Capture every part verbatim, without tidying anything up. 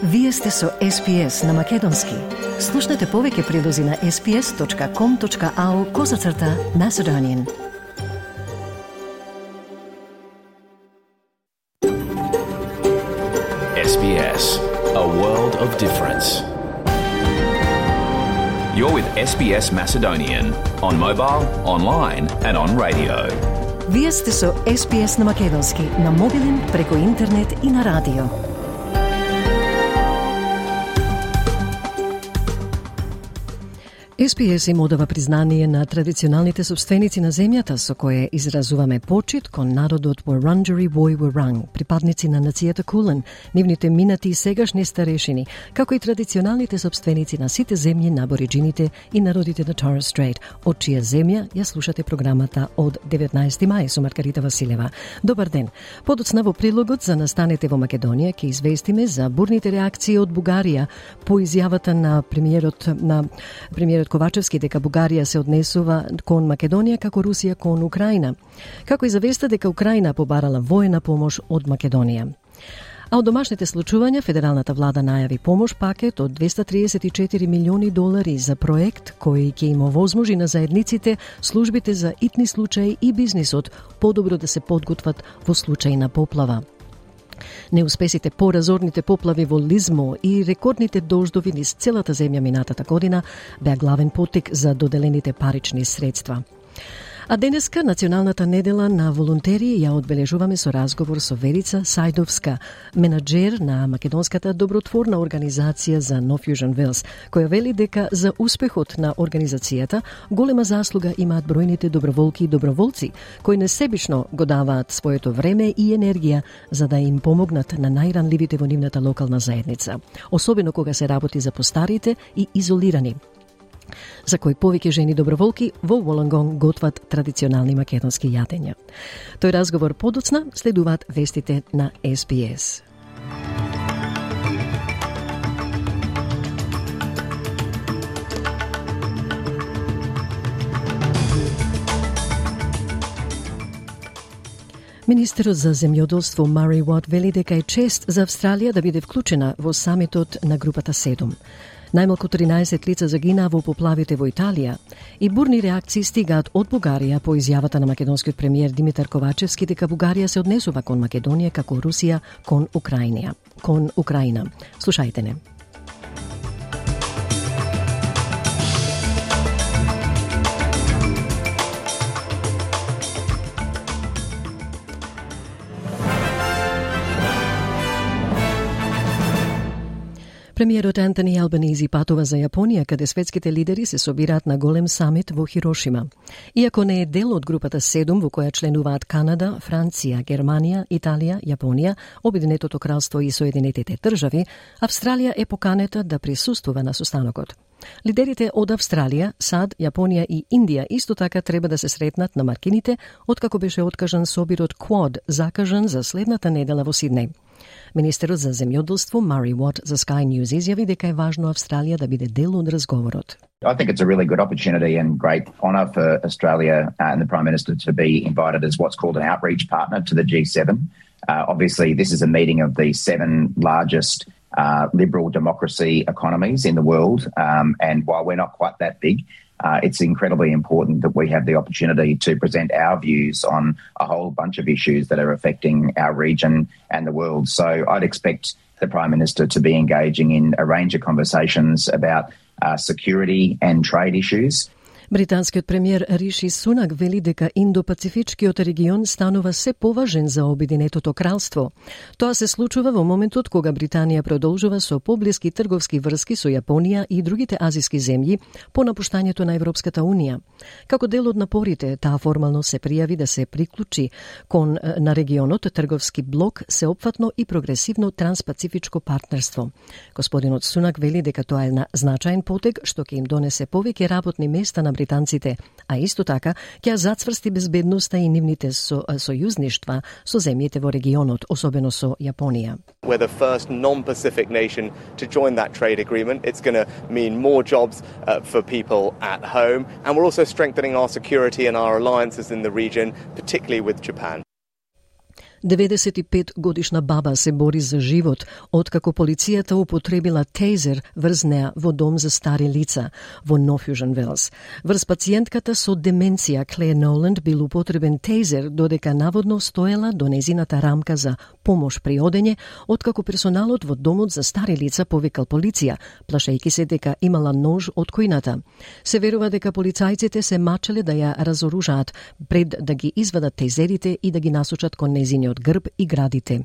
Вие сте со Ес Би Ес на Македонски. Слушнете повеќе прилози на ес би ес точка ком точка ау козацрта Macedonian. Ес Би Ес, a world of difference. You're with Ес Би Ес Macedonian on mobile, online and on radio. Вие сте со Ес Би Ес на Македонски, на мобилен, преку интернет и на радио. Ес Би Ес им одава признание на традиционалните собственици на земјата со кое изразуваме почит кон народот Wurundjeri Woi Wurrung, припадници на нацијата Кулен, нивните минати и сегашни старешини, како и традиционалните собственици на сите земји на абориджините и народите на Торres Strait, од чија земја ја слушате програмата од деветнаесети мај со Маргарита Василева. Добар ден. Подоцна во прилогот за настанете во Македонија ќе известиме за бурните реакции од Бугарија по изјавата на премиерот на премиерот Ковачевски дека Бугарија се однесува кон Македонија како Русија кон Украина, како и завеста дека Украина побарала воена помош од Македонија. А од домашните случувања, федералната влада најави помош пакет од двеста триесет и четири милиони долари за проект кој ќе им овозможи на заедниците, службите за итни случаи и бизнисот подобро да се подготват во случај на поплава. Неуспесите по разорните поплави во Лизмо и рекордните дождови низ целата земја минатата година беа главен поттик за доделените парични средства. А денеска, националната недела на волонтери, ја одбележуваме со разговор со Верица Сајдовска, менаџер на македонската добротворна организација за No Fusion Wales, која вели дека за успехот на организацијата голема заслуга имаат бројните доброволки и доброволци, кои несебично го даваат своето време и енергија за да им помогнат на најранливите во нивната локална заедница, особено кога се работи за постарите и изолирани, за кои повеќе жени доброволки во Волонгон готват традиционални македонски јадења. Тој разговор подоцна следуваат вестите на Ес Би Ес. Министерот за земјоделство Мари Уот вели дека е чест за Австралија да биде вклучена во самитот на групата седум. Најмалку тринаесет лица загинаа во поплавите во Италија и бурни реакции стигаат од Бугарија по изјавата на македонскиот премиер Димитар Ковачевски дека Бугарија се однесува кон Македонија како Русија кон Украина. Кон Украина. Слушајте не. Премиерот Антони Албанизи патува за Јапонија, каде светските лидери се собираат на голем самит во Хирошима. Иако не е дел од групата седум, во која членуваат Канада, Франција, Германија, Италија, Јапонија, Обединетото кралство и Соединетите држави, Австралија е поканета да присуствува на состанокот. Лидерите од Австралија, САД, Јапонија и Индија исто така треба да се сретнат на маркините, откако беше откажан собирот Quad, закажан за следната недела во Сиднеј. Министерот за земјоделство Мари Уот за Sky News изјави дека е важно Австралија да биде дел од разговорот. I think it's a really good opportunity and great honour for Australia and the Prime Minister to be invited as what's called an outreach partner to the G seven. Uh, obviously, this is a meeting of the seven largest uh, liberal democracy economies in the world, um, and while we're not quite that big, Uh, it's incredibly important that we have the opportunity to present our views on a whole bunch of issues that are affecting our region and the world. So I'd expect the Prime Minister to be engaging in a range of conversations about uh, security and trade issues. Британскиот премиер Риши Сунак вели дека Индо-Пацифичкиот регион станува се поважен за Обединетото кралство. Тоа се случува во моментот кога Британија продолжува со поблиски трговски врски со Јапонија и другите азиски земји по напуштањето на Европската Унија. Како дел од напорите, таа формално се пријави да се приклучи кон на регионот трговски блок, сеопфатно и прогресивно транспацифичко партнерство. Господинот Сунак вели дека тоа е значаен потег што ќе им донесе повеќе работни места на британците, а исто така ќе зацврсти безбедноста и нивните со, сојузништва со земјите во регионот, особено со Јапонија. We're the first non-Pacific nation to join that trade agreement. It's going to mean more jobs uh, for people at home, and we're also strengthening our security and our alliances in the region, particularly with Japan. деветдесет и пет годишна баба се бори за живот откако полицијата употребила тейзер врз неа во дом за стари лица во North Fusion Wells. Врз пациентката со деменција Клеер Ноланд бил употребен тейзер додека наводно стоела до незината рамка за помош при одење, откако персоналот во домот за стари лица повикал полиција, плашејќи се дека имала нож од којната. Се верува дека полицајците се мачеле да ја разоружаат пред да ги извадат тейзерите и да ги насочат кон незиниот грб и градите.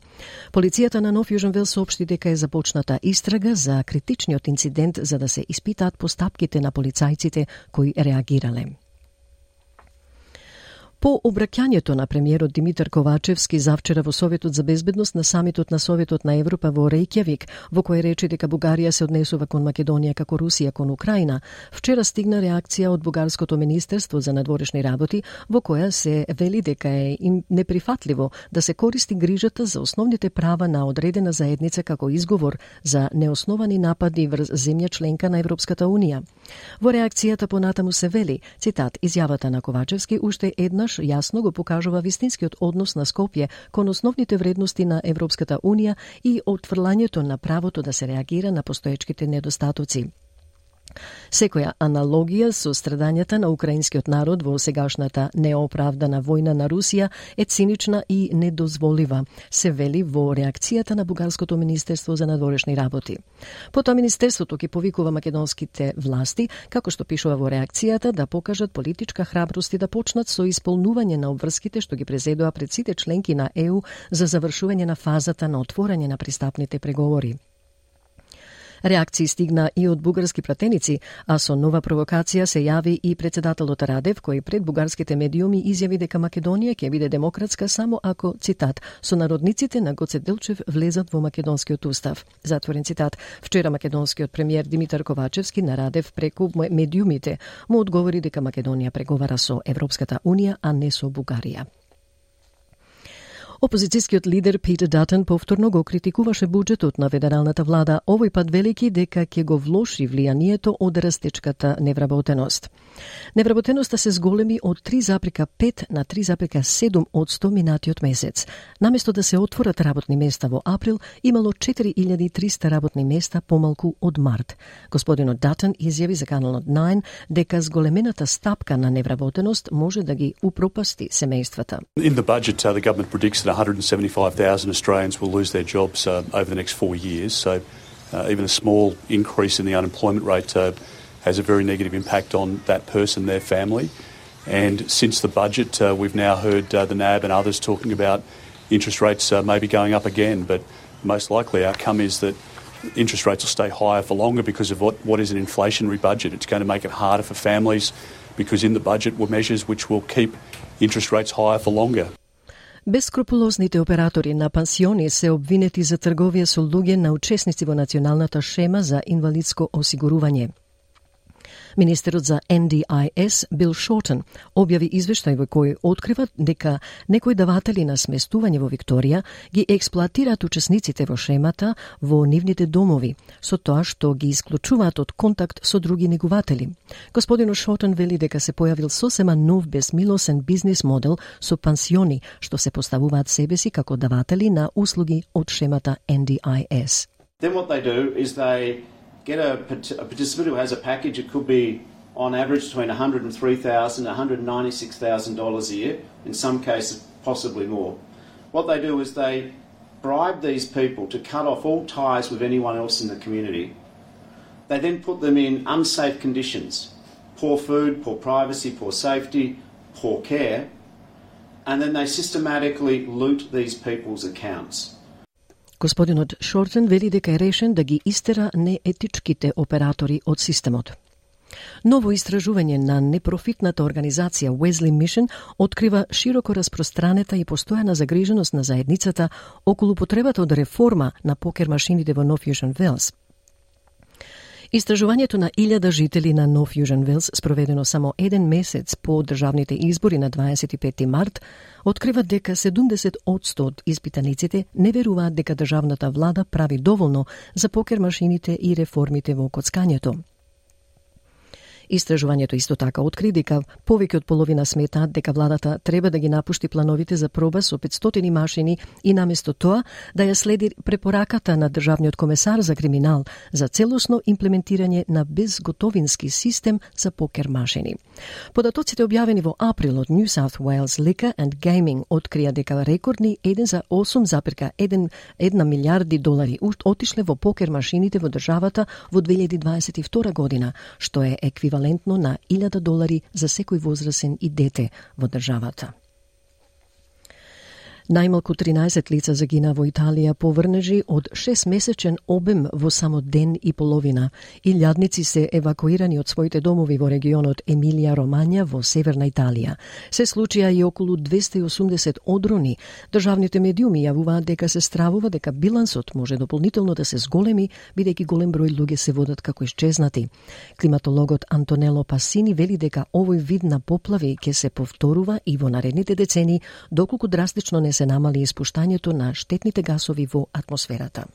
Полицијата на North Fusion Wells соопшти дека е започната истрага за критичниот инцидент за да се испитаат постапките на полицајците кои реагирале. По обраќањето на премиерот Димитар Ковачевски завчера во Советот за безбедност на самитот на Советот на Европа во Рејкјавик, во кој рече дека Бугарија се однесува кон Македонија како Русија кон Украина, вчера стигна реакција од Бугарското министерство за надворешни работи, во која се вели дека е им неприфатливо да се користи грижата за основните права на одредена заедница како изговор за неосновани напади врз земја членка на Европската Унија. Во реакцијата понатаму се вели, цитат, изјавата на Ковачевски уште еднаш јасно го покажува вистинскиот однос на Скопје кон основните вредности на Европската Унија и отфрлањето на правото да се реагира на постоечките недостатоци. Секоја аналогија со страдањата на украинскиот народ во сегашната неоправдана војна на Русија е цинична и недозволива, се вели во реакцијата на Бугарското министерство за надворешни работи. Потоа министерството ќе повикува македонските власти, како што пишува во реакцијата, да покажат политичка храброст и да почнат со исполнување на обврските што ги презедоа пред сите членки на Е У за завршување на фазата на отворање на пристапните преговори. Реакции стигна и од бугарски пратеници, а со нова провокација се јави и председателот Радев, кој пред бугарските медиуми изјави дека Македонија ќе биде демократска само ако, цитат, сонародниците на Гоце Делчев влезат во македонскиот устав. Затворен цитат. Вчера македонскиот премиер Димитар Ковачевски на Радев преку медиумите му одговори дека Македонија преговара со Европската Унија, а не со Бугарија. Опозицијскиот лидер Питер Датон повторно го критикуваше буџетот на федералната влада, овој пат велики дека ќе го влоши влијанието од растечката невработеност. Невработеноста се зголеми од три запирка пет на три запирка седум одсто минатиот месец. Наместо да се отворат работни места во април, имало четири илјади и триста работни места помалку од март. Господинот Датон изјави за каналот најн дека зголемената стапка на невработеност може да ги упропасти семејствата. In the budget, uh, the government predicts that one hundred seventy-five thousand Australians will lose their jobs uh, over the next four years. So uh, even a small increase in the unemployment rate uh, has a very negative impact on that person, their family. And since the budget, uh, we've now heard uh, the N A B and others talking about interest rates uh, maybe going up again. But the most likely outcome is that interest rates will stay higher for longer because of what, what is an inflationary budget. It's going to make it harder for families because in the budget were measures which will keep interest rates higher for longer. Бескрупулозните оператори на пансиони се обвинети за трговија со луѓе на учесници во националната шема за инвалидско осигурување. Министерот за Н Д I S Бил Шортон објави извештај во кој открива дека некои даватели на сместување во Викторија ги експлоатираат учесниците во шемата во нивните домови, со тоа што ги исклучуваат од контакт со други негуватели. Господинот Шортон вели дека се појавил сосема нов безмилосен бизнис модел со пансиони што се поставуваат себе си како даватели на услуги од шемата Н Д I S. Then what they do is they get a, a participant who has a package. It could be on average between one hundred three thousand dollars and one hundred ninety-six thousand dollars a year, in some cases possibly more. What they do is they bribe these people to cut off all ties with anyone else in the community. They then put them in unsafe conditions, poor food, poor privacy, poor safety, poor care, and then they systematically loot these people's accounts. Господинот Шортен вели дека е решен да ги истера неетичките оператори од системот. Ново истражување на непрофитната организација Wesley Mission открива широко распространета и постојана загриженост на заедницата околу потребата од реформа на покер машините во North Fusion Wells. Истражувањето на илјада жители на North Fusion Wells, спроведено само еден месец по државните избори на дваесет и пети март, открива дека седумдесет одсто од испитаниците не веруваат дека државната влада прави доволно за покер машините и реформите во коцкањето. Истражувањето исто така откри дека повеќе од половина сметаат дека владата треба да ги напушти плановите за проба со петстотини машини и наместо тоа да ја следи препораката на државниот комесар за криминал за целосно имплементирање на безготовински систем за покер машини. Податоците објавени во април од New South Wales Liquor and Gaming открија дека рекордни еден зарез осум запирка една милијарди долари отишле во покер машините во државата во две илјади дваесет и втора година, што е еквивалентно на илјада долари за секој возрасен и дете во државата. Најмалку тринаесет лица загина во Италија по врнежи од шестмесечен обем во само ден и половина. Илјадници се евакуирани од своите домови во регионот Емилија Ромања во северна Италија. Се случија и околу двесте и осумдесет одрони. Државните медиуми јавуваат дека се стравува дека билансот може дополнително да се зголеми, бидејќи голем број луѓе се водат како исчезнати. Климатологот Антонело Пасини вели дека овој вид на поплави ќе се повторува и во наредните децени, доколку драстично не се намали испуштањето на штетните гасови во атмосферата.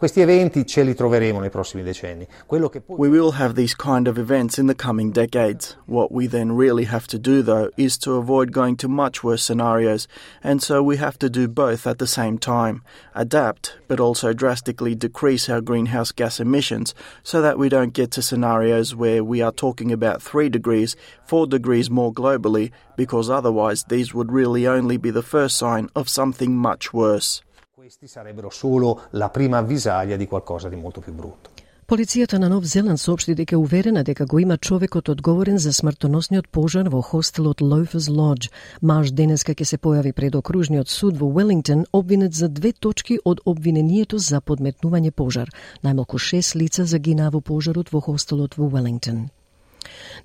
Questi eventi ce li troveremo nei prossimi decenni. Quello che poi... We will have these kind of events in the coming decades. What we then really have to do, though, is to avoid going to much worse scenarios, and so we have to do both at the same time. Adapt, but also drastically decrease our greenhouse gas emissions so that we don't get to scenarios where we are talking about three degrees, four degrees more globally, because otherwise these would really only be the first sign of something much worse. Questi sarebbero solo la prima avvisaglia di qualcosa di molto più brutto. Полицијата на Нов Зеланд соопшти дека е уверена дека го има човекот одговорен за смртоносниот пожар во хостелот Loafers Lodge. Маж денеска ќе се појави пред окружниот суд во Велингтон, обвинет за две точки од обвинението за подметнување пожар. Најмалку шест лица загинаа во пожарот во хостелот во Велингтон.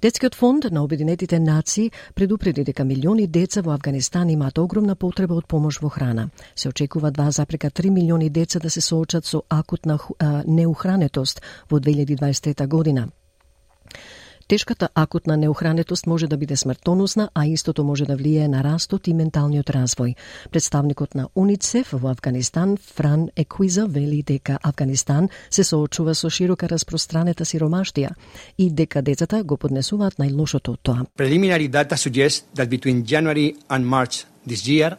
Детскиот фонд на Обединетите нации предупреди дека милиони деца во Авганистан имаат огромна потреба од помош во храна. Се очекува два запирка три милиони деца да се соочат со акутна а, неухранетост во две илјади дваесет и трета година. Тешката акутна неухранетост може да биде смртоносна, а истото може да влијае на растот и менталниот развој. Представникот на УНИЦЕФ во Авганистан, Фран Екуиза, вели дека Авганистан се соочува со широка распространета сиромаштија и дека децата го поднесуваат најлошото од тоа. Preliminary data suggests that between January and March this year, one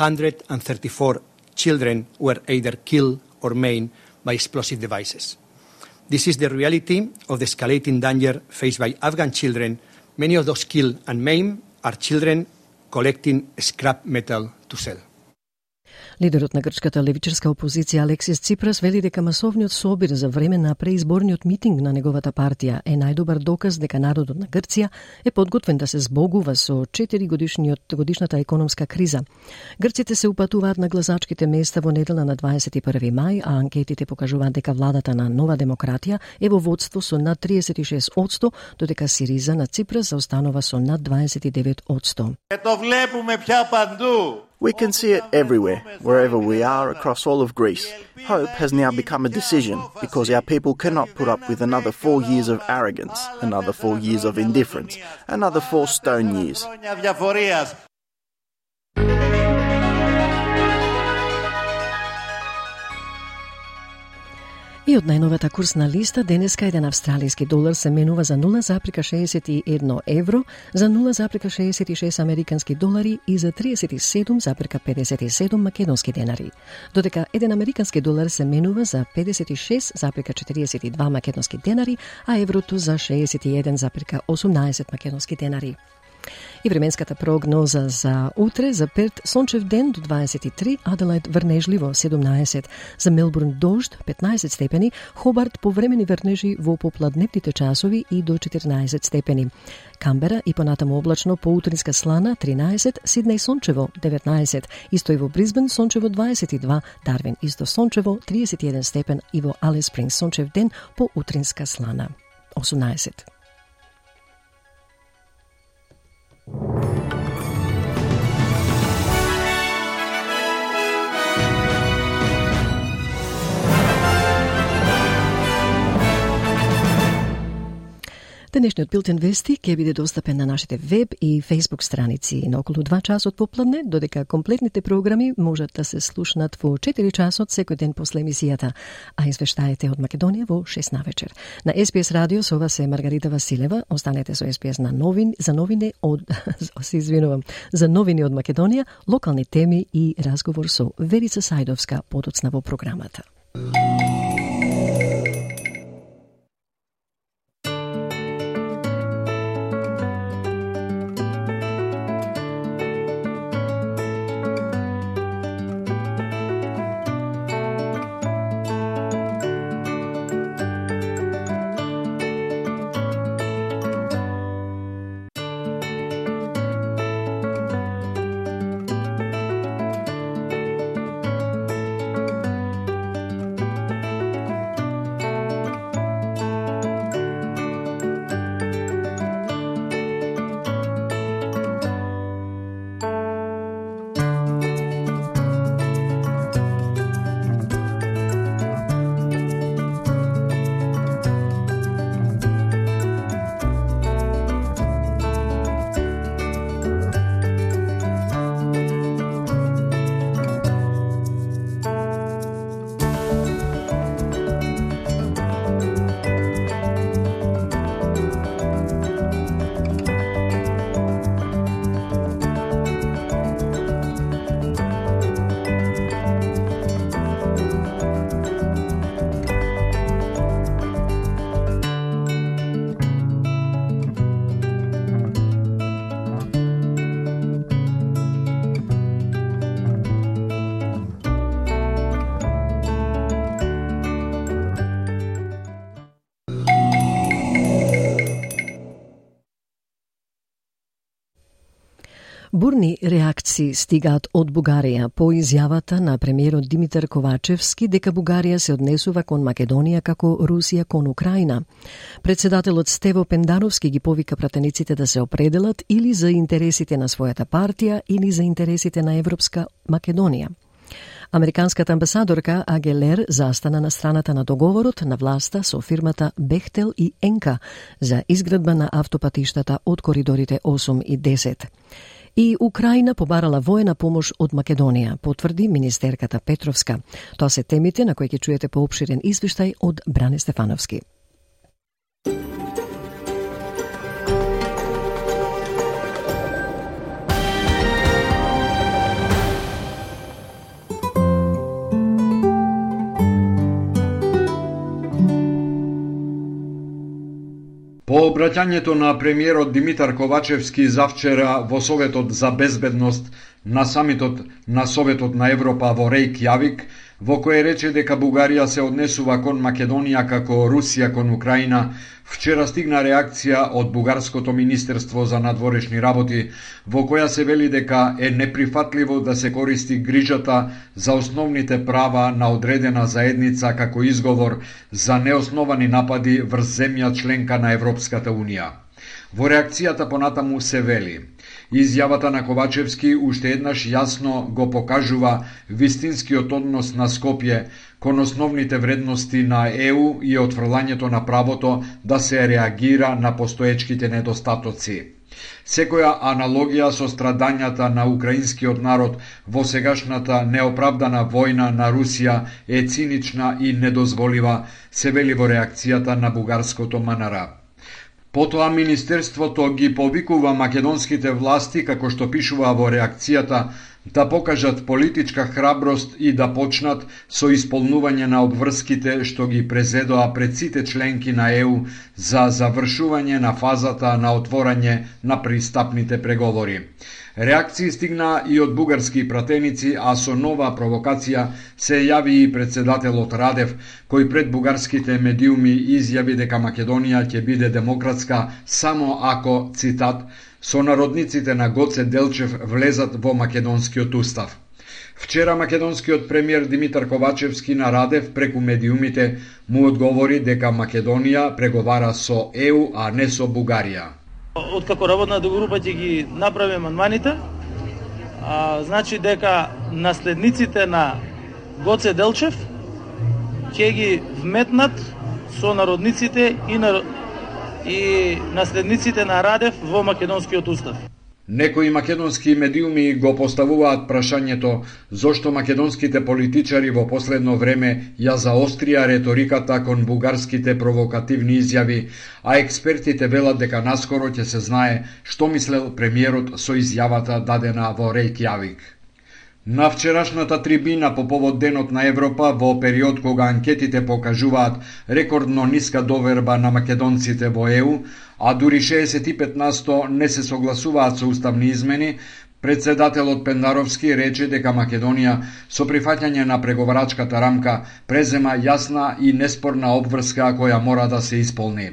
hundred thirty-four children were either killed or maimed by explosive devices. This is the reality of the escalating danger faced by Afghan children. Many of those killed and maimed are children collecting scrap metal to sell. Лидерот на грчката левичарска опозиција Алексис Ципрас вели дека масовниот собир за време на преизборниот митинг на неговата партија е најдобар доказ дека народот на Грција е подготвен да се збогува со четири годишниот годишната економска криза. Грците се упатуваат на гласачките места во недела на дваесет и први мај, а анкетите покажуваат дека владата на Нова демократија е во водство со над триесет и шест одсто, додека Сириза на Ципрас заостанува со над дваесет и девет одсто. Ето влепуме пја панду. We can see it everywhere, wherever we are across all of Greece. Hope has now become a decision because our people cannot put up with another four years of arrogance, another four years of indifference, another four stone years. И од најновата курсна листа, денеска еден австралиски долар се менува за нула запирка шеесет и едно евро, за нула запирка шеесет и шест американски долари и за триесет и седум запирка педесет и седум македонски денари. Додека еден американски долар се менува за педесет и шест запирка четириесет и два македонски денари, а еврото за шеесет и еден запирка осумнаесет македонски денари. И временската прогноза за утре: за Перт сончев ден до дваесет и три, Аделајд врнежливо седумнаесет, за Мелбурн дожд петнаесет степени, Хобарт повремени врнежи во попладневните часови и до четирнаесет степени. Камбера и понатаму облачно, поутринска слана тринаесет, Сиднеј сончево деветнаесет, исто и во Бризбен сончево дваесет и два, Дарвин исто сончево триесет и еден степен и во Алис Спрингс сончев ден, поутринска слана осумнаесет. Денешниот билтен вести ќе биде достапен на нашите веб и фейсбук страници на околу два часот попладне, додека комплетните програми можат да се слушнат во четири часот секој ден после емисијата, а извештаите од Македонија во шест навечер. На Ес Би Ес радио со вас е Маргарита Василева. Останете со Ес Би Ес на новин, за новини од се извинувам, за новини од Македонија, локални теми и разговор со Верица Сајдовска подоцна во програмата. Бурни реакции стигаат од Бугарија по изјавата на премиерот Димитар Ковачевски дека Бугарија се однесува кон Македонија како Русија кон Украина. Председателот Стево Пендаровски ги повика пратениците да се определат или за интересите на својата партија или за интересите на Европска Македонија. Американската амбасадорка Агелер застана на страната на договорот на власта со фирмата Бехтел и Енка за изградба на автопатиштата од коридорите осум и десет. И Украина побарала воена помош од Македонија, потврди министерката Петровска. Тоа се темите на кои ќе чуете поопширен извештај од Бране Стефановски. По обраќањето на премиерот Димитар Ковачевски завчера во Советот за безбедност на самитот на Советот на Европа во Рејкјавик, во кој рече дека Бугарија се однесува кон Македонија како Русија кон Украина, вчера стигна реакција од Бугарското министерство за надворешни работи, во која се вели дека е неприфатливо да се користи грижата за основните права на одредена заедница како изговор за неосновани напади врз земја членка на Европската Унија. Во реакцијата понатаму се вели: изјавата на Ковачевски уште еднаш јасно го покажува вистинскиот однос на Скопје кон основните вредности на ЕУ и отфрлањето на правото да се реагира на постоечките недостатоци. Секоја аналогија со страдањата на украинскиот народ во сегашната неоправдана војна на Русија е цинична и недозволива, се вели во реакцијата на бугарското МНР. Потоа Министерството ги повикува македонските власти, како што пишува во реакцијата, да покажат политичка храброст и да почнат со исполнување на обврските што ги презедоа пред сите членки на ЕУ за завршување на фазата на отворање на пристапните преговори. Реакции стигна и од бугарски пратеници, а со нова провокација се јави и председателот Радев, кој пред бугарските медиуми изјави дека Македонија ќе биде демократска само ако, цитат, сонародниците на Гоце Делчев влезат во македонскиот устав. Вчера македонскиот премиер Димитар Ковачевски на Радев преку медиумите му одговори дека Македонија преговара со ЕУ, а не со Бугарија. Откако работната група ќе ги направи амандманите, а, значи дека наследниците на Гоце Делчев ќе ги вметнат со народниците и на и наследниците на Радев во македонскиот устав. Некои македонски медиуми го поставуваат прашањето зошто македонските политичари во последно време ја заострија реториката кон бугарските провокативни изјави, а експертите велат дека наскоро ќе се знае што мислел премиерот со изјавата дадена во Рејкјавик. На вчерашната трибина по повод Денот на Европа, во период кога анкетите покажуваат рекордно ниска доверба на македонците во Е У, а дури шеесет и пет на сто не се согласуваат со уставни измени, председателот Пендаровски рече дека Македонија со прифаќање на преговарачката рамка презема јасна и неспорна обврска која мора да се исполни.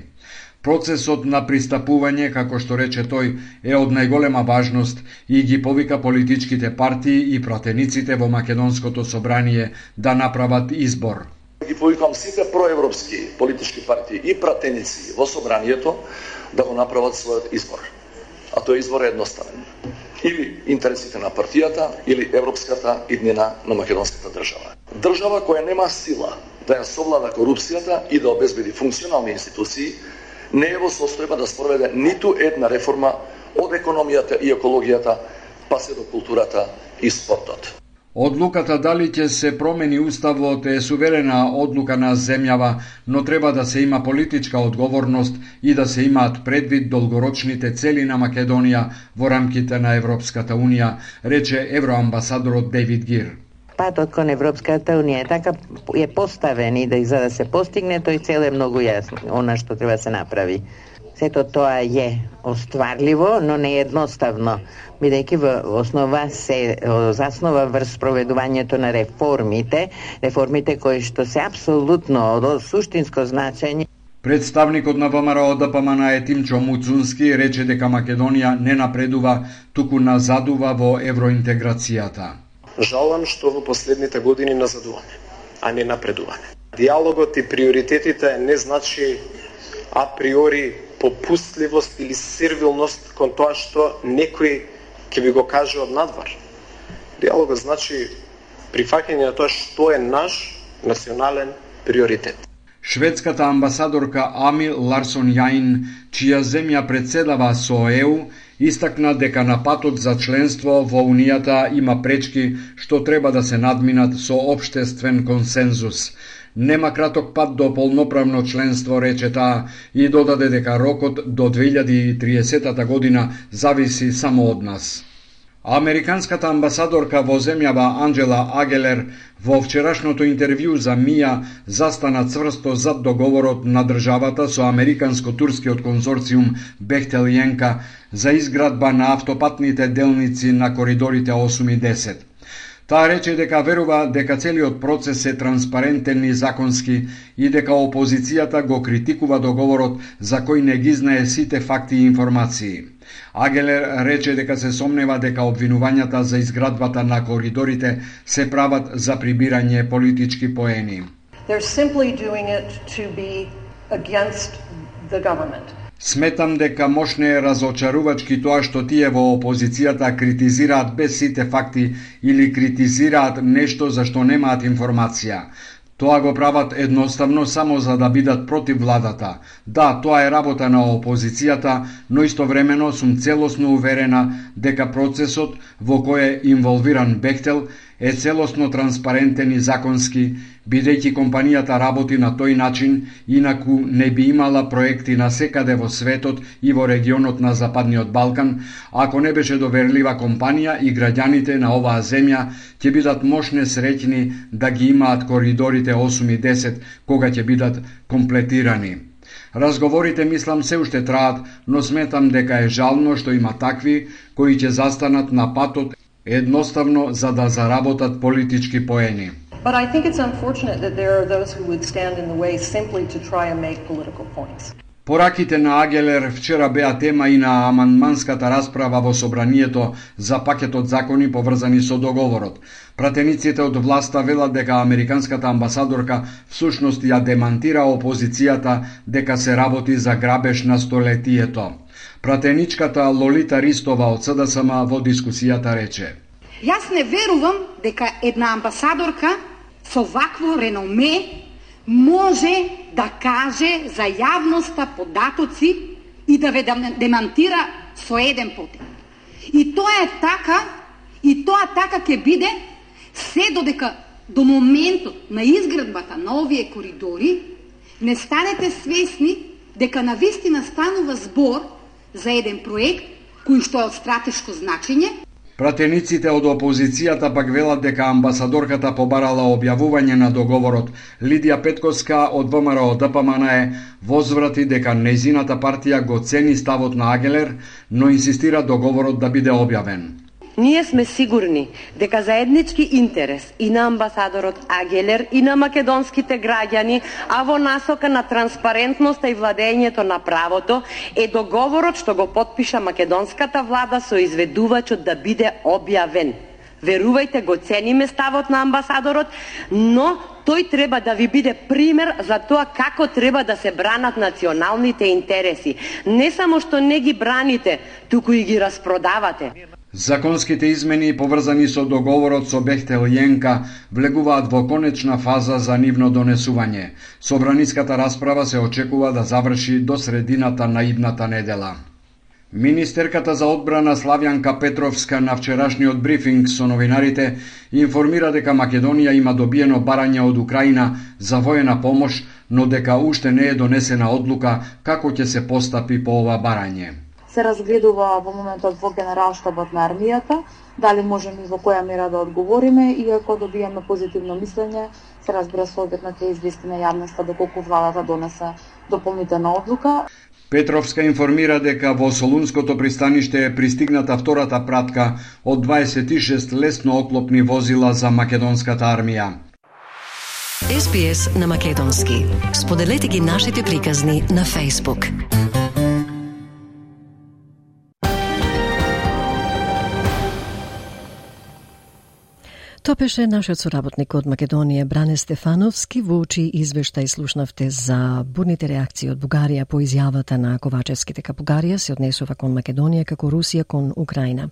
Процесот на пристапување, како што рече тој, е од најголема важност и ги повика политичките партии и пратениците во Македонското собрание да направат избор. Ги повикам сите проевропски политички партии и пратеници во собранието да го направат својот избор. А тој избор е едноставен. Или интересите на партијата, или европската иднина на македонската држава. Држава која нема сила да ја совлада корупцијата и да обезбеди функционални институции, не е во состојба да спроведе ниту една реформа од економијата и екологијата, па се до културата и спортот. Одлуката дали ќе се промени уставот е суверена одлука на земјава, но треба да се има политичка одговорност и да се имаат предвид долгорочните цели на Македонија во рамките на Европската Унија, рече евроамбасадорот Дейвид Гир. Патот кон Европската Унија е така е поставен и да за да се постигне тој цел е многу јасно, она што треба да се направи. Сето тоа е остварливо, но не едноставно, бидејќи во основа се заснова врз проведувањето на реформите, реформите кои што се апсолутно од суштинско значење. Представникот на ВМРО Д П М Н е Тимчо Муцунски рече дека Македонија не напредува, туку назадува во евроинтеграцијата. Жалам што во последните години назадуваме, а не напредуваме. Диалогот и приоритетите не значи априори попустливост или сервилност кон тоа што некој ќе ви го каже од надвор. Диалогот значи прифаќање на тоа што е наш национален приоритет. Шведската амбасадорка Ами Ларсон Јаин, чија земја председава со Е У, истакна дека на патот за членство во Унијата има пречки што треба да се надминат со општествен консензус. Нема краток пат до полноправно членство, рече таа, и додаде дека рокот до две илјади и триесета година зависи само од нас. Американската амбасадорка во земјава Анджела Агелер во вчерашното интервју за Мија застана цврсто зад договорот на државата со американско-турскиот конзорциум Бехтел Јенка за изградба на автопатните делници на коридорите осум и десет. Таа рече дека верува дека целиот процес е транспарентен и законски и дека опозицијата го критикува договорот за кој не ги знае сите факти и информации. Агелер рече дека се сомнева дека обвинувањата за изградбата на коридорите се прават за прибирање политички поени. They're simply doing it to be against the government. Сметам дека мошне е разочарувачки тоа што тие во опозицијата критизираат без сите факти или критизираат нешто за што немаат информација. Тоа го прават едноставно само за да бидат против владата. Да, тоа е работа на опозицијата, но истовремено сум целосно уверена дека процесот во кој е инволвиран Бехтел е целосно транспарентен и законски, бидејќи компанијата работи на тој начин, инаку не би имала проекти на секаде во светот и во регионот на Западниот Балкан, ако не беше доверлива компанија и граѓаните на оваа земја ќе бидат мошне среќни да ги имаат коридорите осум и десет кога ќе бидат комплетирани. Разговорите, мислам, се уште траат, но сметам дека е жално што има такви кои ќе застанат на патот едноставно за да заработат политички поени. But I think it's unfortunate that there are those who would stand in the way simply to try and make political points. Пораките на Агелер вчера беа тема и на амандманската расправа во собранието за пакетот закони поврзани со договорот. Пратениците од власта велат дека американската амбасадорка всушност ја демантира опозицијата дека се работи за грабеж на столетието. Пратеничката Лолита Ристова од С Д С М во дискусијата рече: Јас не верувам дека една амбасадорка со вакво реноме може да каже за јавноста податоци и да ве демантира со еден потек. И тоа е така, и тоа така ќе биде се додека до моментот на изградбата на овие коридори не станете свесни дека навистина станува збор за еден проект кој што е од стратешко значење. Пратениците од опозицијата пак велат дека амбасадорката побарала објавување на договорот. Лидија Петковска од ВМРО Д П М Н Е возврати дека нејзината партија го цени ставот на Агелер, но инсистира договорот да биде објавен. Ние сме сигурни дека заеднички интерес и на амбасадорот Агелер и на македонските граѓани, а во насока на транспарентноста и владењето на правото, е договорот што го потпиша македонската влада со изведувачот да биде објавен. Верувајте, го цениме ставот на амбасадорот, но тој треба да ви биде пример за тоа како треба да се бранат националните интереси. Не само што не ги браните, туку и ги распродавате. Законските измени поврзани со договорот со Бехтел Јенка влегуваат во конечна фаза за нивно донесување. Собраниската расправа се очекува да заврши до средината на идната недела. Министерката за одбрана Славјанка Петровска на вчерашниот брифинг со новинарите информира дека Македонија има добиено барање од Украина за воена помош, но дека уште не е донесена одлука како ќе се постапи по ова барање. Се разгледува во моментот во Генералштабот на армијата, дали можеме и во која мера да одговориме, и ако добиеме позитивно мислење, се разбира соодветно ќе извести на јавноста доколку владата донесе дополнителна одлука. Петровска информира дека во Солунското пристаниште е пристигната втората пратка од дваесет и шест лесно оклопни возила за македонската армија. Ес Би Ес на македонски. Споделете ги нашите приказни на Facebook. Тоа беше нашиот соработник од Македонија Бране Стефановски. Во очи извештај слушнавте за бурните реакции од Бугарија по изјавата на Ковачевски дека Бугарија се однесува кон Македонија како Русија кон Украина.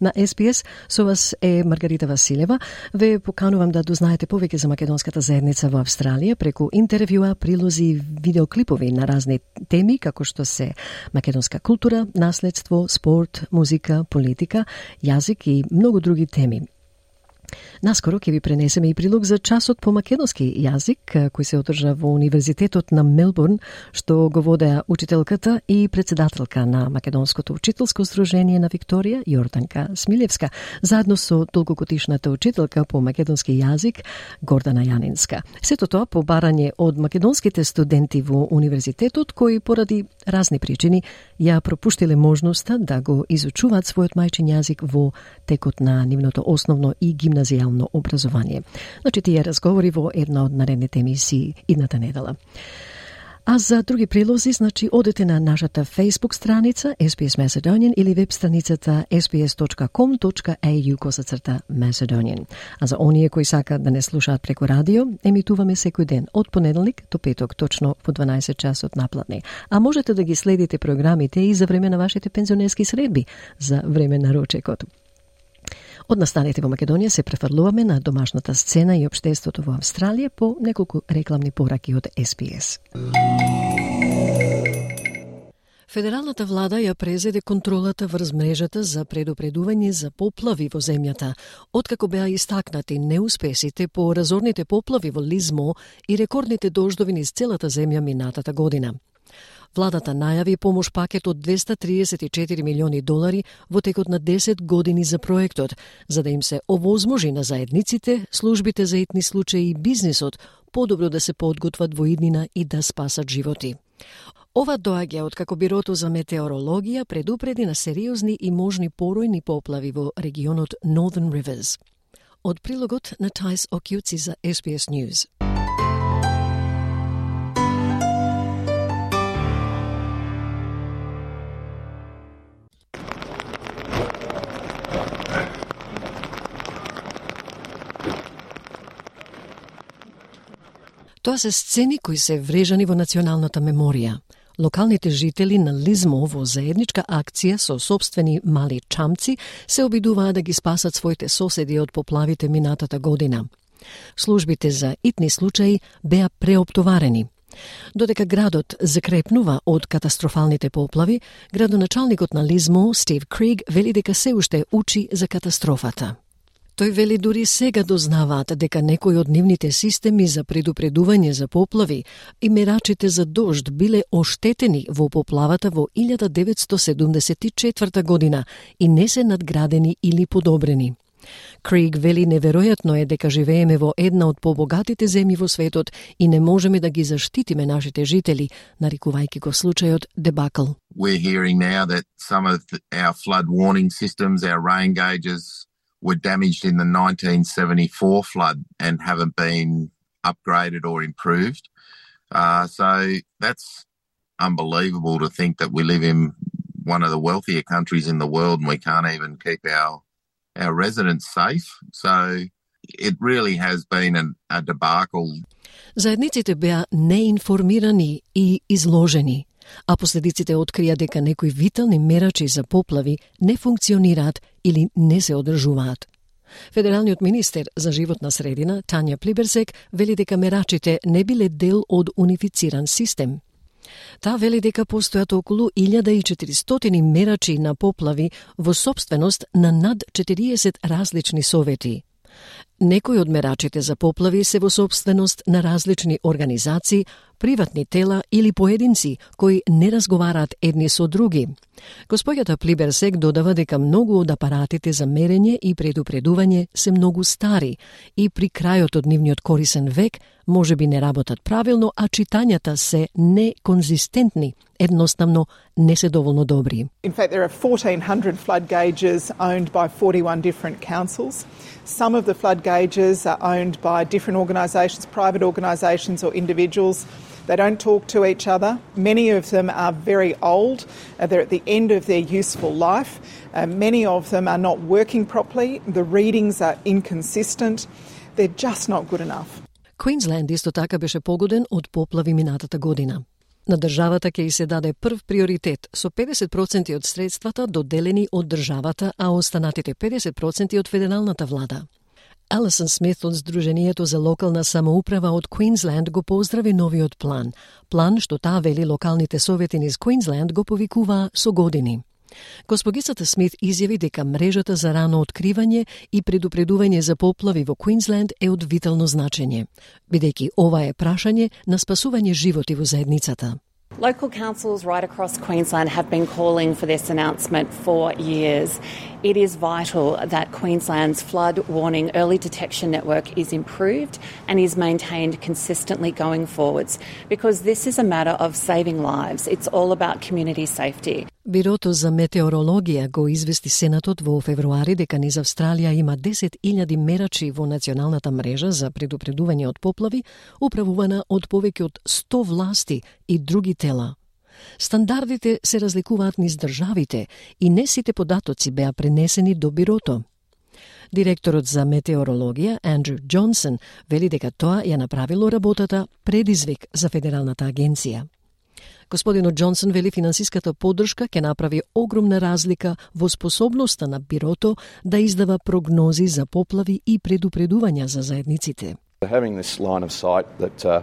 На Ес Би Ес со вас е Маргарита Василева. Ве поканувам да дознаете повеќе за македонската заедница во Австралија преку интервјуа, прилози и видеоклипови на разни теми како што се македонска култура, наследство, спорт, музика, политика, јазик и многу други теми. Наскоро ќе ви пренесеме и прилог за часот по македонски јазик кој се одржа во Универзитетот на Мелбурн, што го водеа учителката и председателка на Македонското учителско сдружение на Викторија, Јорданка Смилевска, заедно со долгогодишната учителка по македонски јазик, Гордана Јанинска. Сето тоа по барање од македонските студенти во Универзитетот, кои поради разни причини ја пропуштиле можноста да го изучуваат својот мајчин јазик во текот на нивното основно и гимназијално образование. Значи, тие разговори во една од наредните емисии идната недела. А за други прилози, значи, одете на нашата Facebook страница Ес Би Ес Macedonian или веб страницата ес би ес точка ком точка ей ю косацрта Macedonian. А за оние кои сакаат да не слушаат преку радио, емитуваме секој ден од понеделник до петок, точно во дванаесет часот напладне. А можете да ги следите програмите и за време на вашите пензионерски средби, за време на ручекот. Од настаните во Македонија се префрлуваме на домашната сцена и општеството во Австралија по неколку рекламни пораки од Ес Би Ес. Федералната влада ја презеде контролата врз мрежата за предупредување за поплави во земјата, откако беа истакнати неуспесите по разорните поплави во Лизмо и рекордните дождови низ целата земја минатата година. Владата најави помош пакет од двеста триесет и четири милиони долари во текот на десет години за проектот, за да им се овозможи на заедниците, службите за итни случаи и бизнисот подобро да се подготват во иднина и да спасат животи. Ова доаѓа од како Бирото за метеорологија предупреди на сериозни и можни поројни поплави во регионот Northern Rivers. Од прилогот на Тајс Окјуци за Ес Би Ес News. Тоа се сцени кои се врежани во националната меморија. Локалните жители на Лизмо во заедничка акција со собствени мали чамци се обидуваат да ги спасат своите соседи од поплавите минатата година. Службите за итни случаи беа преоптоварени. Додека градот закрепнува од катастрофалните поплави, градоначалникот на Лизмо, Стив Криг, вели дека се уште учи за катастрофата. Тој вели дури сега дознаваат дека некои од нивните системи за предупредување за поплави и мерачите за дожд биле оштетени во поплавата во илјада деветстотини седумдесет и четврта година и не се надградени или подобрени. Криг вели неверојатно е дека живееме во една од побогатите земји во светот и не можеме да ги заштитиме нашите жители, нарекувајќи го случајот дебакл. We're hearing now that some of our flood warning systems, our rain gauges, were damaged in the nineteen seventy-four flood and haven't been upgraded or improved. Uh, so that's unbelievable to think that we live in one of the wealthier countries in the world and we can't even keep our our residents safe. So it really has been an, a debacle. Заедниците беа неинформирани и изложени, а последиците открија дека некои витални мерачи за поплави не функционираат или не се одржуваат. Федералниот министер за животна средина, Тања Плиберсек, вели дека мерачите не биле дел од унифициран систем. Таа вели дека постојат околу илјада и четиристотини мерачи на поплави во сопственост на над четириесет различни совети. Некои од мерачите за поплави се во сопственост на различни организации, приватни тела или поединци кои не разговараат едни со други. Господјата Плиберсек додава дека многу од апаратите за мерење и предупредување се многу стари и при крајот од нивниот корисен век може би не работат правилно, а читањата се неконзистентни, едноставно не се доволно добри. In fact, there are fourteen hundred flood gauges owned by forty-one different councils. Some of the flood gauges are owned by different organisations, private organisations or individuals. They don't talk to each other. Many of them are very old. Uh, they're at the end of their useful life. Uh, many of them are not working properly. The readings are inconsistent. They're just not good enough. Квинсленд исто така беше погоден од поплави минатата година. На државата ќе ѝ се даде прв приоритет со педесет проценти од средствата доделени од државата, а останатите педесет проценти од федералната влада. Алисон Смит од Сдруженијето за локална самоуправа од Квинсленд го поздрави новиот план. План што таа вели локалните совети низ Квинсленд го повикуваа со години. Госпогицата Смит изјави дека мрежата за рано откривање и предупредување за поплави во Квинсленд е од витално значење, бидејќи ова е прашање на спасување животи во заедницата. Local councils right across Queensland have been calling for this announcement for years. It is vital that Queensland's flood warning early detection network is improved and is maintained consistently going forwards, because this is a matter of saving lives. It's all about community safety. Бирото за метеорологија го извести Сенатот во февруари дека низ Австралија има десет илјади мерачи во националната мрежа за предупредување од поплави, управувана од повеќе од сто власти и други тела. Стандардите се разликуваат низ државите и не сите податоци беа пренесени до бирото. Директорот за метеорологија, Андрю Джонсон, вели дека тоа ја направило работата предизвик за Федералната агенција. Господинот Джонсон вели финансиската поддршка ќе направи огромна разлика во способноста на бирото да издава прогнози за поплави и предупредувања за заедниците. Having this line of sight that uh,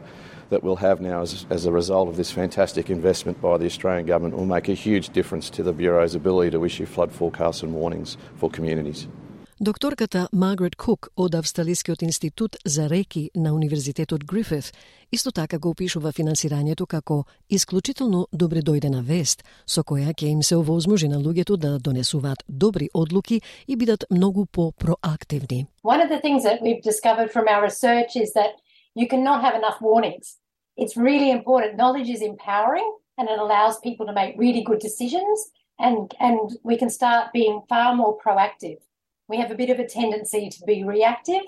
that we'll have now as, as a result of this fantastic investment by the Australian government will make a huge difference to the Bureau's ability to issue flood forecasts and warnings for communities. Докторката Маргарет Кук од Австралискиот институт за реки на Универзитетот Грифит исто така го опишува финансирањето како исклучително добре дојдена вест, со која ќе им се овозможи на луѓето да донесуваат добри одлуки и бидат многу по-проактивни. One of the things that we've discovered from our research is that you cannot have enough warnings. It's really important. Knowledge is empowering and it allows people to make really good decisions, and, and we can start being far more proactive. We have a bit of a tendency to be reactive,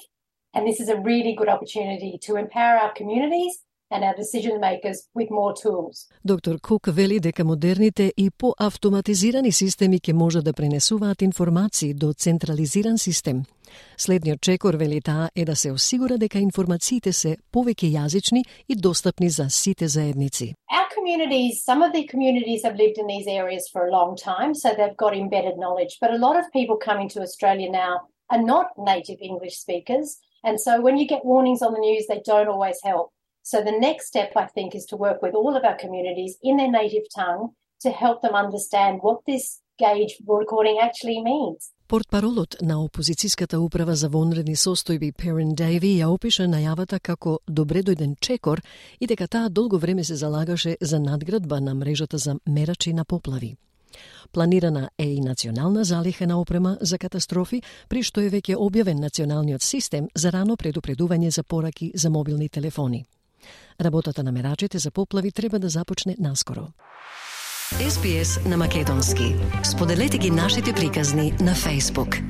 and this is a really good opportunity to empower our communities and our decision makers with more tools. Доктор Кук вели дека модерните и поавтоматизирани системи ќе можат да пренесуваат информации до централизиран систем. Следниот чекор, вели таа, е да се осигура дека информациите се повеќе јазични и достапни за сите заедници. Our communities, some of the communities have lived in these areas for a long time, so they've got embedded knowledge, but a lot of people coming to Australia now are not native English speakers, And so when you get warnings on the news, they don't always help. So the next step, I think, is to work with all of our communities in their native tongue to help them understand what this gauge recording actually means. Портпаролот на опозицијската управа за вонредни состојби Перин Дейви ја опиша најавата како добре дојден чекор и дека таа долго време се залагаше за надградба на мрежата за мерачи на поплави. Планирана е и национална залихена опрема за катастрофи, при што е веќе објавен националниот систем за рано предупредување за пораки за мобилни телефони. Работата на мерачите за поплави треба да започне наскоро. Ес Би Ес на македонски. Споделете ги нашите приказни на Facebook.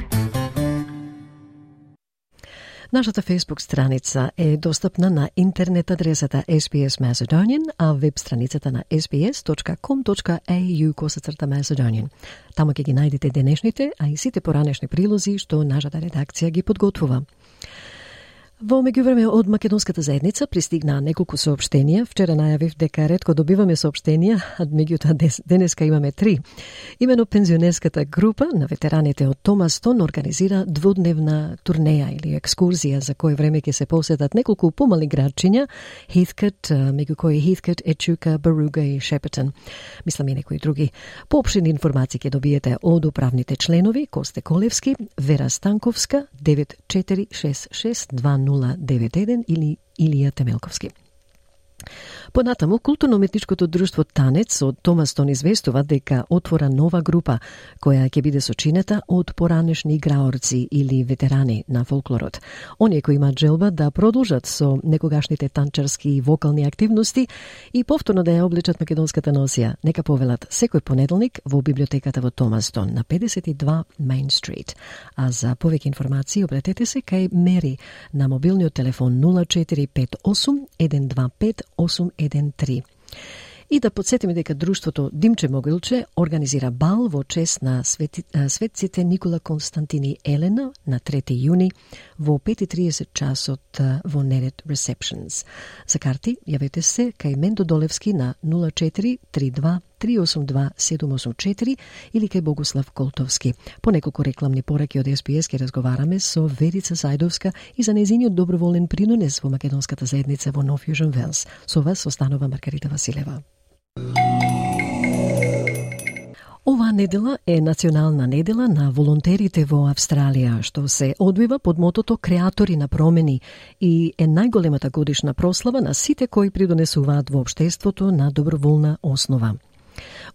Нашата Facebook страница е достапна на интернет адресата ес би ес Macedonian, а веб страницата на ес би ес точка ком точка ей ю косацрта Macedonian. Таму ќе ги најдете денешните, а и сите поранешни прилози што нашата редакција ги подготвува. Во меѓувреме од македонската заедница пристигнаа неколку соопштенија. Вчера најавив дека ретко добиваме соопштенија, а меѓутоа денеска имаме три. Имено пензионерската група на ветераните од Томастон организира двудневна турнеја или екскурзија за кој време ќе се посетат неколку помали градчиња, Heathcote, меѓу кои Heathcote, Ечука, Баруга и Шепетон. Мислам и некои други. Поопштени информации ќе добиете од управните членови Косте Колевски, Вера Станковска, девет четири шест шест два нула девет еден или Илија Темелковски. Понатаму, културно-уметничкото друштво Танец од Томастон известува дека отвора нова група која ќе биде сочинета од поранешни играорци или ветерани на фолклорот. Оние кои имаат желба да продолжат со некогашните танчарски и вокални активности и повторно да ја облечат македонската носија, нека повелат секој понеделник во библиотеката во Томастон на педесет и два Main Street. А за повеќе информации обратете се кај Мери на мобилниот телефон нула четири пет осум еден два пет осум еден три. И да подсетиме дека друштвото Димче Могилче организира бал во чест на свети, светците Никола Константини Елена на трети јуни во пет и триесет часот во Nered Receptions. За карти јавете се кај Мендо Долевски на нула четири три два три осум два седум осум четири или кај Богуслав Колтовски. По неколку рекламни пораки од Ес Би Ес ке разговараме со Верица Зајдовска и за нејзиниот доброволен принонес во македонската заедница во No Fusion Wales. Со вас останува Маргарита Василева. Оваа недела е национална недела на волонтерите во Австралија, што се одвива под мотото Креатори на промени и е најголемата годишна прослава на сите кои придонесуваат во општеството на доброволна основа.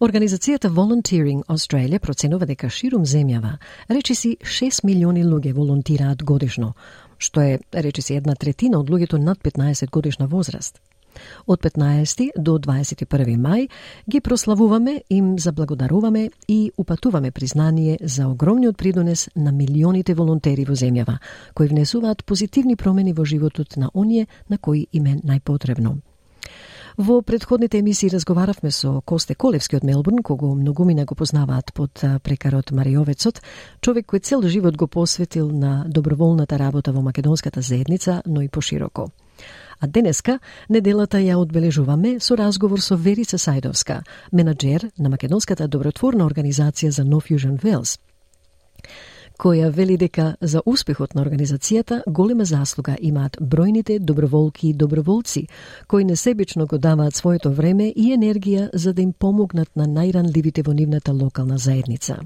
Организацијата Volunteering Australia проценува дека ширум земјава речиси шест милиони луѓе волонтираат годишно, што е речиси една третина од луѓето над петнаесет годишна возраст. Од петнаесети до дваесет и први мај ги прославуваме, им заблагодаруваме и упатуваме признание за огромниот придонес на милионите волонтери во земјава, кои внесуваат позитивни промени во животот на оние на кои им е најпотребно. Во предходните емисии разговаравме со Косте Колевски од Мелбурн, кого многумина го познаваат под прекарот Мариовецот, човек кој цел живот го посветил на доброволната работа во македонската заедница, но и пошироко. А денеска неделата ја одбележуваме со разговор со Верица Зајдовска, менаџер на македонската добротворна организација за No Fusion Wales, која вели дека за успехот на организацијата голема заслуга имаат бројните доброволки и доброволци, кои несебично го даваат своето време и енергија за да им помогнат на најранливите во нивната локална заедница.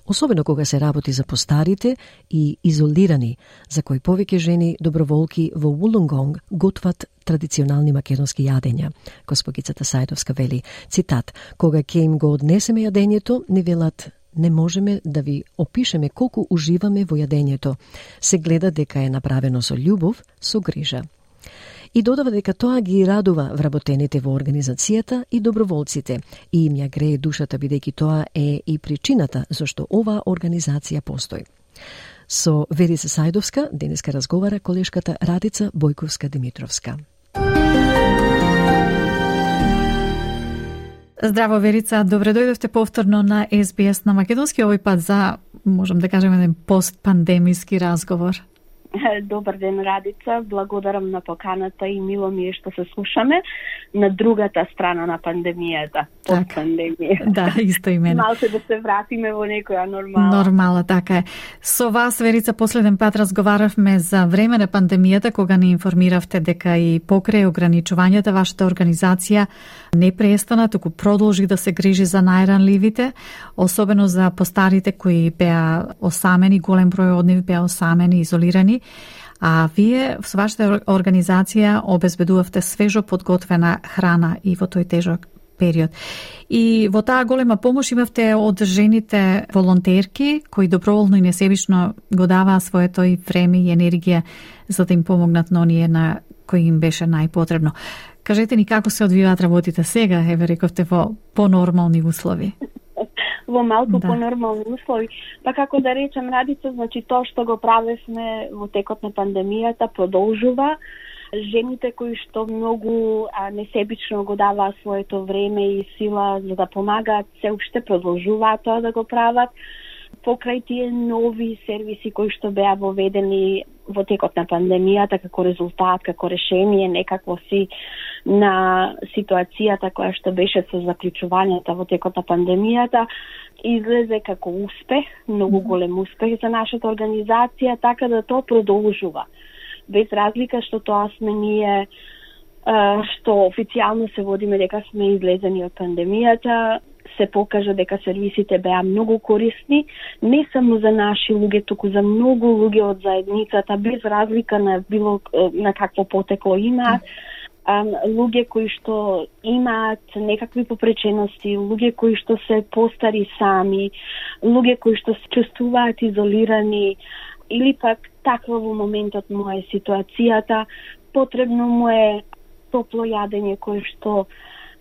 Особено кога се работи за постарите и изолирани, за кои повеќе жени доброволки во Вулунгонг готват традиционални македонски јадења. Госпогицата Зајдовска вели, цитат, кога ќе им го однесеме јадењето, не велат, не можеме да ви опишеме колку уживаме во јадењето. Се гледа дека е направено со љубов, со грижа. И додава дека тоа ги радува вработените во организацијата и доброволците и им ја грее душата бидејќи тоа е и причината зашто оваа организација постои. Со Верица Зајдовска денеска разговара колешката Радица Бојковска-Димитровска. Здраво, Верица, добре дојдовте повторно на Ес Би Ес на македонски, овој пат за, можам да кажем, еден постпандемиски разговор. Добар ден, Радица. Благодарам на поканата и мило ми е што се слушаме на другата страна на пандемијата. Од пандемија. Да, исто и мене. Малце да се вратиме во некоја нормала. Нормала, така е. Со вас, Верица, последен пат разговаравме за време на пандемијата, кога ни информиравте дека и покрај ограничувањата вашата организација не престана, туку продолжи да се грижи за најранливите, особено за постарите кои беа осамени, голем број од нив беа осамени, изолирани. А вие со вашата организација обезбедувавте свежо подготвена храна и во тој тежок период. И во таа голема помош имавте од жените волонтерки кои доброволно и несебично го даваа своето и време и енергија за да им помогнат на оние на кои им беше најпотребно. Кажете ни како се одвиваат работите сега, еве рековте во понормални услови. Во малку Да. понормални услови. Па како да речем, Радица, значи тоа што го правевме во текот на пандемијата продолжува. Жените кои што многу а, несебично го даваа своето време и сила за да помагаат, се уште продолжуваат тоа да го прават. Покрај тие нови сервиси кои што беа воведени во текот на пандемијата како резултат, како решение некакво си на ситуацијата која што беше со заклучувањата во текот на пандемијата, излезе како успех, многу голем успех за нашата организација, така да тоа продолжува. Без разлика што тоа сме ние, што официјално се водиме дека сме излезени од пандемијата, се покажа дека сервисите беа многу корисни, не само за наши луѓе, туку за многу луѓе од заедницата, без разлика на било на какво потекло имаат. Луѓе кои што имаат некакви попречености, луѓе кои што се постари сами, луѓе кои што се чувствуваат изолирани, или пак таква во моментот му е ситуацијата, потребно му е топло јадење кое што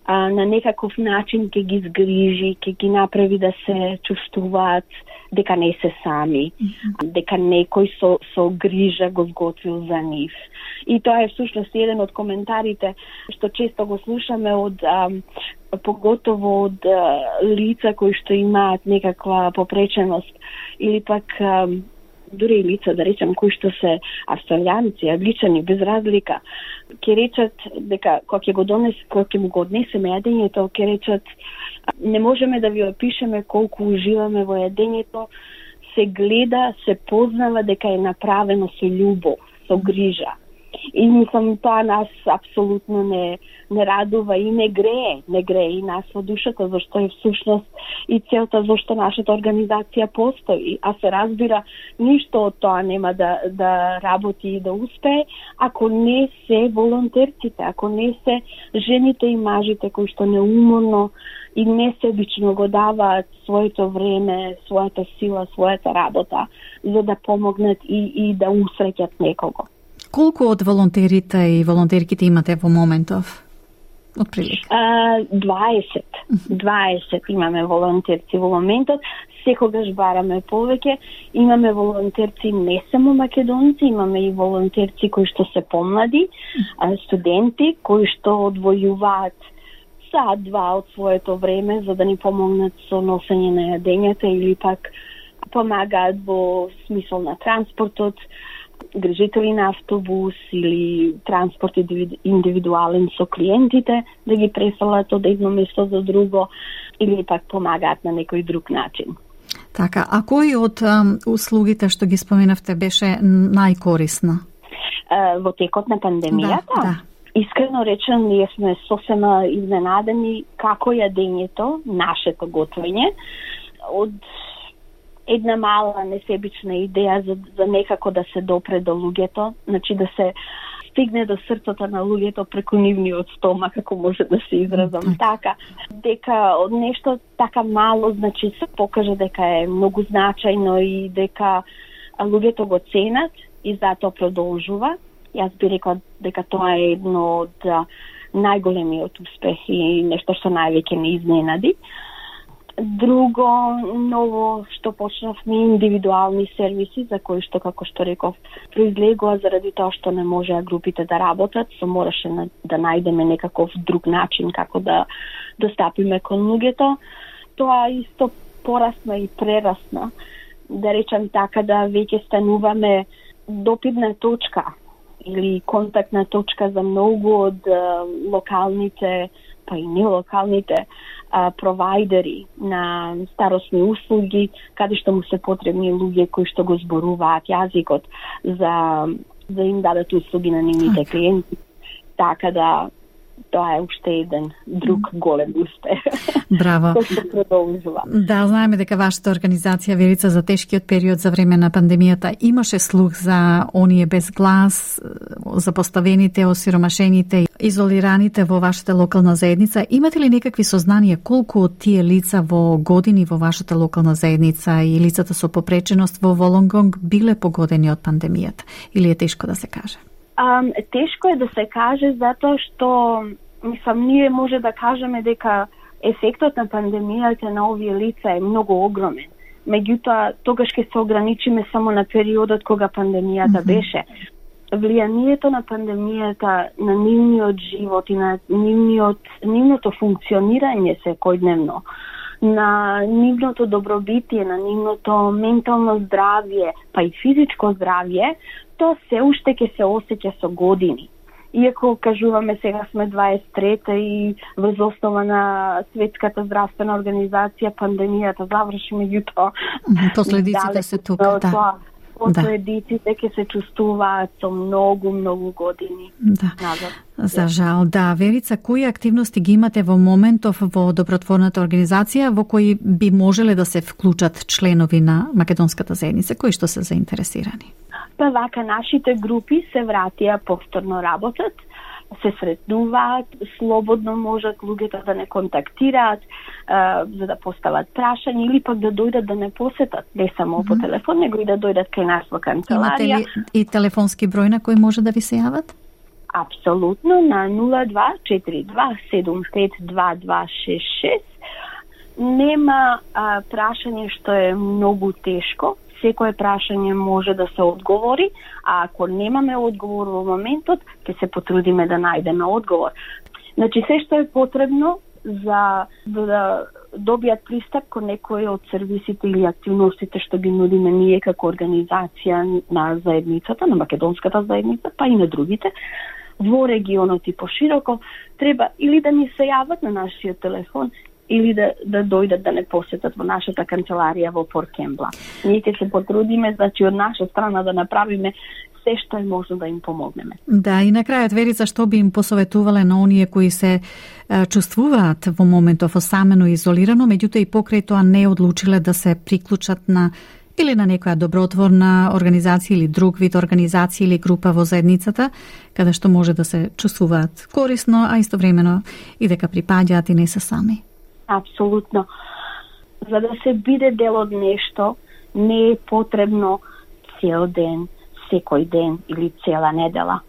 а, на некаков начин ќе ги згрижи, ќе ги направи да се чувствуваат дека не се сами, mm-hmm. дека некој со, со грижа го сготвил за нив. И тоа е всушност еден од коментарите што често го слушаме од а, поготово од а, лица кои што имаат некаква попреченост или пак а, дури и лица, да речем, кои што се австралијанци, англичани, без разлика, ќе речат дека кога ќе го донес, кога ќе му го однесеме јадењето, ќе речат не можеме да ви опишеме колку уживаме во јадењето, се гледа, се познава дека е направено со љубов, со грижа. И мислам, тоа нас апсолутно не, не радува и не грее, не грее и нас во душата, зашто е всушност и целта зашто нашата организација постои. А се разбира, ништо од тоа нема да, да работи и да успее, ако не се волонтерците, ако не се жените и мажите кои што неуморно и несебично го даваат своето време, својата сила, својата работа, за да помогнат и, и да усреќат некого. Колку од волонтерите и волонтерките имате во моментов? Отприлика. дваесет. дваесет имаме волонтерци во моментот. Секогаш бараме повеќе. Имаме волонтерци не само македонци, имаме и волонтерци кои што се помлади, студенти кои што одвојуваат сат-два од своето време за да ни помогнат со носење на јадењата или пак помагаат во смисол на транспортот, грижители на автобус или транспорт индивидуален со клиентите, да ги преселат од едно место до друго или пак помагаат на некој друг начин. Така, а кој од um, услугите што ги споменавте беше најкорисна? Uh, во текот на пандемијата? Да, да. Искрено речено, ние сме сосема изненадени како јадењето, нашето готвење, од една мала несебична идеја за, за некако да се допре до луѓето, значи да се стигне до срцето на луѓето преку нивниот стомак, ако може да се изразам mm. така, дека од нешто така мало, значи се покаже дека е многу значајно и дека луѓето го ценат и затоа продолжува. Јас би рекла дека тоа е едно од најголемиот успех и нешто што највеќе не изненади. Друго ново што почнавме индивидуални сервиси за кои што, како што реков, произлегува заради тоа што не можеа групите да работат, со мораше на, да најдеме некаков друг начин како да достапиме кон луѓето. Тоа исто порасна и прерасна, да речам така, да веќе стануваме допирна точка или контактна точка за многу од локалните, па и нелокалните а, провайдери на старосни услуги, каде што му се потребни луѓе кои што го зборуваат јазикот за да им дадат услуги на нивните клиенти. Така да тоа е уште еден друг голем успех. Браво. Кој се продолжува. Да, знаеме дека вашата организација Верица за тешкиот период за време на пандемијата имаше слух за оние без глас, за поставените, осиромашените, изолираните во вашата локална заедница. Имате ли некакви сознанија колку од тие лица во години во вашата локална заедница и лицата со попреченост во Волонгонг биле погодени од пандемијата? Или е тешко да се каже? Um, тешко е да се каже затоа што мислам ние може да кажеме дека ефектот на пандемијата на овие лица е многу огромен. Меѓутоа тогаш ќе се ограничиме само на периодот кога пандемијата mm-hmm. беше. Влијанието на пандемијата на нивниот живот и на нивниот нивното функционирање секојдневно, на нивното добробитие, на нивното ментално здравје, па и физичко здравје, тоа се уште ќе се осеќа со години. Иако кажуваме сега сме дваесет и трета и врз основа на Светската здравствена организација пандемијата заврши, меѓутоа последиците се тука, да. Последиците ќе се чувствуваат со многу, многу години да. Назад. За жал, да. Верица, кои активности ги имате во моментов во добротворната организација во кои би можеле да се вклучат членови на македонската заедница, кои што се заинтересирани? Па вака, нашите групи се вратија повторно работат, се сретнуваат, слободно можат луѓето да не контактираат, а, за да постават прашања или пак да дојдат да не посетат, не само mm-hmm. по телефон, него и да дојдат кај нас во канцеларија. Имате ли и телефонски број на кој може да ви се јават? Апсолутно, на нула два четири два седум пет два два шест шест. Нема а, прашање што е многу тешко. Секое прашање може да се одговори, а ако немаме одговор во моментот, ќе се потрудиме да најдеме одговор. Значи, се што е потребно за да добијат пристап кон некои од сервисите или активностите што ги нудиме ние како организација на заедницата, на македонската заедница, па и на другите, во регионот и пошироко, треба или да ни се јават на нашиот телефон, или да, да дојдат да не посетат во нашата канцеларија во Порт Кембла. Ние ќе се потрудиме, значи, од наша страна да направиме се што е можно да им помогнеме. Да, и на крајот, Верица, што би им посоветувале на оние кои се е, чувствуваат во моментов осамено и изолирано, меѓутоа и покрај тоа не одлучиле да се приклучат на или на некоја добротворна организација или друг вид организација или група во заедницата, каде што може да се чувствуваат корисно, а истовремено и дека припаѓаат и не се сами. Апсолутно. За да се биде дел од нешто, не е потребно цел ден, секој ден или цела недела.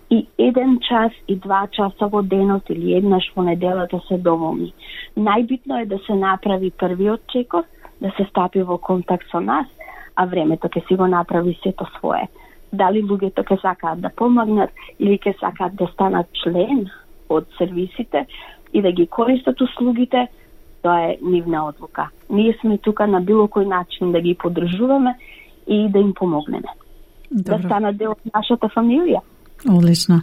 И еден час и два часа во денот или еднаш во неделата се доволни. Најбитно е да се направи првиот чекор, да се стапи во контакт со нас, а времето ќе си го направи сето свое. Дали луѓето ќе сакаат да помогнат или ќе сакаат да станат член од сервисите и да ги користат услугите, тоа е нивна одлука. Ние сме тука на било кој начин да ги поддржуваме и да им помогнеме. Добро. Да станат дел од нашата фамилија. Одлично.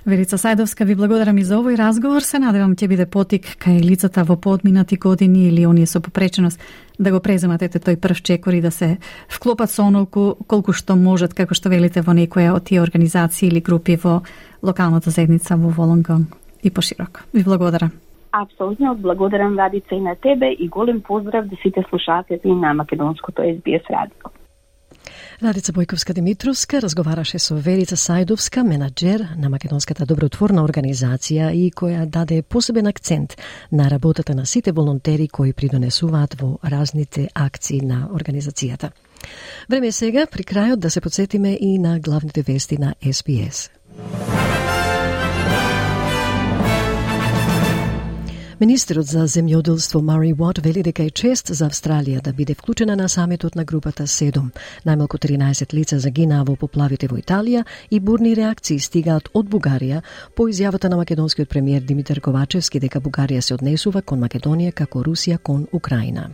Верица Сајдовска, ви благодарам и за овој разговор. Се надевам ќе биде потик кај лицата во поодминати години или оние со попреченост да го преземат ете тој прв чекор и да се вклопат со онолку колку што можат, како што велите, во некоја од тие организации или групи во локалната заедница во Волонгонг и пошироко. Ви благодарам. Апсолутно, благодарам Радица и на тебе и голем поздрав да сите слушатели на македонското Ес Би Ес радио. Радица Бојковска-Димитровска разговараше со Верица Сајдовска, менаџер на македонската добротворна организација и која даде посебен акцент на работата на сите волонтери кои придонесуваат во разните акции на организацијата. Време е сега при крајот да се подсетиме и на главните вести на Ес Би Ес. Министерот за земјоделство Мари Уот вели дека е чест за Австралија да биде вклучена на самитот на групата седум. Најмалку тринаесет лица загинаа во поплавите во Италија и бурни реакции стигаат од Бугарија по изјавата на македонскиот премиер Димитар Ковачевски дека Бугарија се однесува кон Македонија како Русија кон Украина.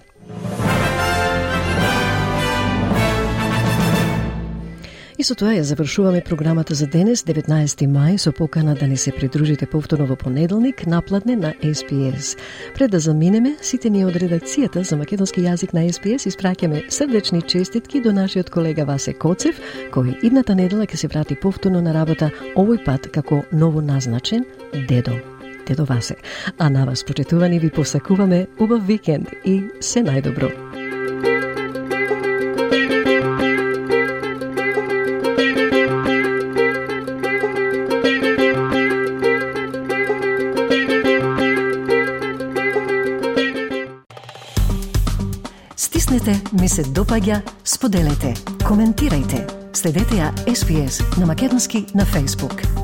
И со тоа ја завршуваме програмата за денес, деветнаесети мај, со покана да ни се придружите повторно во понеделник, напладне на Ес Би Ес. Пред да заминеме, сите ние од редакцијата за македонски јазик на Ес Би Ес испраќаме срдечни честитки до нашиот колега Васе Коцев, кој идната недела ќе се врати повторно на работа, овој пат како ново назначен дедо. Дедо Васе. А на вас, почитувани, ви посакуваме убав викенд и се најдобро. Стиснете, ми се допаѓа, споделете, коментирајте. Следете ја Ес Би Ес на македонски на Facebook.